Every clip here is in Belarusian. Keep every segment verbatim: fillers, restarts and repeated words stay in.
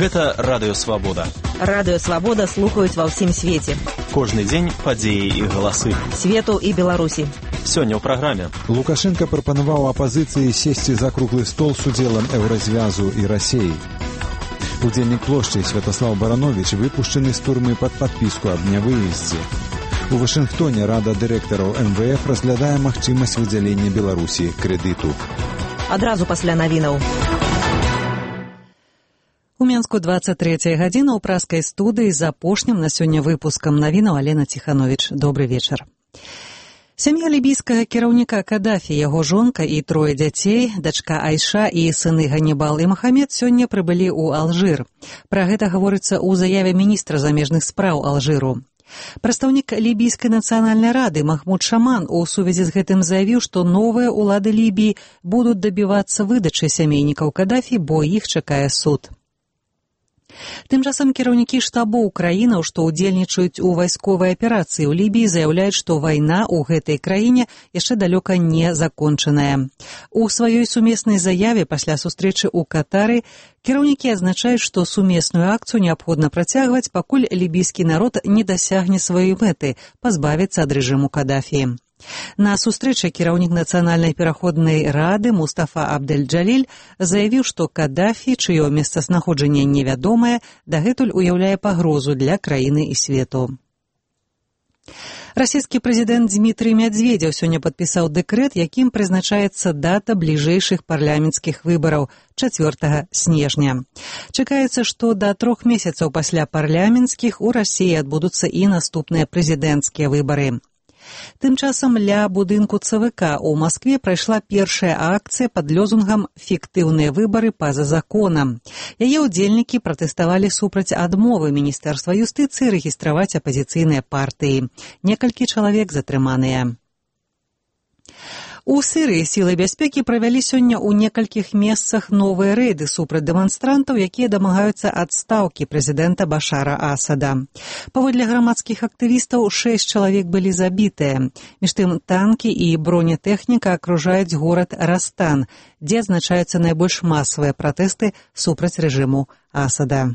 Гэта Радыё Свабода. Радыё Свабода слухаюць ва ўсім свеце. Кожны дзень падзеі і галасы. Свету і Беларусі. Сёння ў праграме. Лукашенко прапанаваў апазіцыі сесці за круглы стол з удзелам Еўразвязу і Расіі. Удзельнік плошчы Святаслав Баранович выпушчаны з турмы пад падпіску аб нявыездзе. У Вашынгтоне Рада дырэктараў эм вэ эф разглядае магчымасць выдзялення Беларусі крэдыту. Адразу пасля навінаў. У Менску двадцать третья гадзіна ў праскай студыі з апошнім на сёння выпускам навінаў Алена Ціханович. Добры вечар. Сям'я лібійскага кіраўніка Кадафі, яго жонка і трое дзяцей, дачка Айша і сыны Ганнібал і Махамед сёння прыбылі ў Алжыр. Пра гэта гаворыцца ў заяве міністра замежных спраў Алжыру. Прадстаўнік лібійскай нацыянальнай рады Махмуд Шаман у сувязі з гэтым заявіў, што новыя ўлады Лібіі будуць дабівацца выдачы сямейнікаў Кадафі, бо іх чакае суд. Тым часам кіраўнікі штабоў краінаў, што ўдзельнічаюць у вайсковай аперацыі ў Лібіі, заяўляюць, што вайна ў гэтай краіне яшчэ далёка не закончаная. У сваёй сумеснай заяве пасля сустрэчы ў Катары кіраўнікі азначаюць, што сумесную акцыю неабходна працягваць, пакуль лібійскі народ не дасягне сваёй мэты – пазбавіцца ад рэжыму Кадафі. На сустрэчы кіраўнік нацыянальнай пераходнай рады Мустафа Абдэль-Джаліль заявіў, што Кадафі, чыё месцазнаходжанне невядомае, дагэтуль уяўляе пагрозу для краіны і свету. Расійскі прэзідэнт Дмітрый Мядзведзеў сёння падпісаў дэкрэт, якім прызначаецца дата бліжэйшых парламенцкіх выбараў чацвёртага снежня. Чакаецца, што да трох месяцаў пасля парламенцкіх у Расіі адбудуцца і наступныя прэзідэнцкія выбары. Тым часам ля будынку цэ вэ ка ў Маскве прайшла першая акцыя пад лёзунгам «Фіктыўныя выбары па-за законам». Яе ўдзельнікі пратэставалі супраць адмовы Міністэрства юстыцыі рэгістраваць апазіцыйныя партыі. Некалькі чалавек затрыманыя. У Сірыі сілы бяспекі правялі сёння ў некалькіх месцах новыя рэйды супраць дэманстрантаў, якія дамагаюцца адстаўкі прэзідэнта Башара Асада. Паводле грамадскіх актывістаў, шэсць чалавек былі забітыя. Між тым, танкі і бронетэхніка акружаюць горад Растан, дзе адзначаюцца найбольш масавыя пратэсты супраць рэжыму Асада.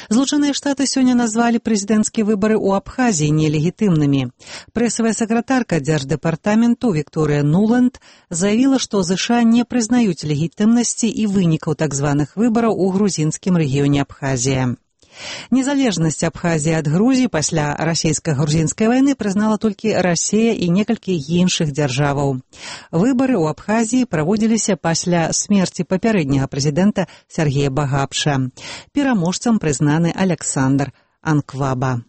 Злучаныя Штаты сёння назвалі прэзідэнцкія выбары ў Абхазіі нелегітымнымі. Прэсавая сакратарка дзярждэпартаменту Вікторыя Нуланд заявіла, што ЗША не прызнаюць легітымнасці і вынікаў так званых выбараў у грузінскім рэгіёне Абхазія. Незалежнасць Абхазіі ад Грузіі пасля расійска-грузінскай вайны прызнала толькі Расія і некалькі іншых дзяржаваў. Выбары ў Абхазіі праводзіліся пасля смерці папярэдняга прэзідэнта Сергея Багапша. Пераможцам прызнаны Аляксандр Анкваба.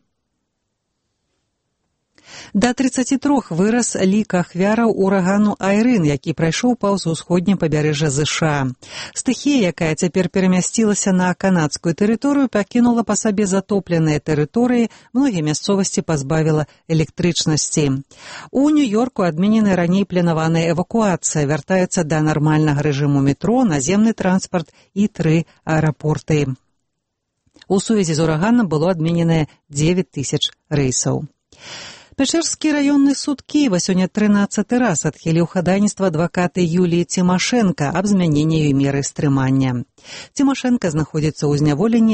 Да трыццаці трох вырас лік ахвяраў урагану Айрын, які прайшоў паўз усходняе пабярэжжа ЗША. Стыхія, якая цяпер перамясцілася на канадскую тэрыторыю, пакінула па сабе затопленыя тэрыторыі, многія мясцовасці пазбавіла электрычнасці. У Нью-Йорку адменена раней планаваная эвакуацыя, вяртаецца да нармальнага рэжыму метро, наземны транспарт і тры аэрапорты. У сувязі з ураганам было адмененае дзевяць тысяч рэйсаў. Пячэрскі раённы суд Кіева сёння трынаццаты раз адхіліў хадайніцтва адваката Юліі Цімашэнка аб змяненні ёй меры стрымання. Цімашэнка знаходзіцца ў зняволенні,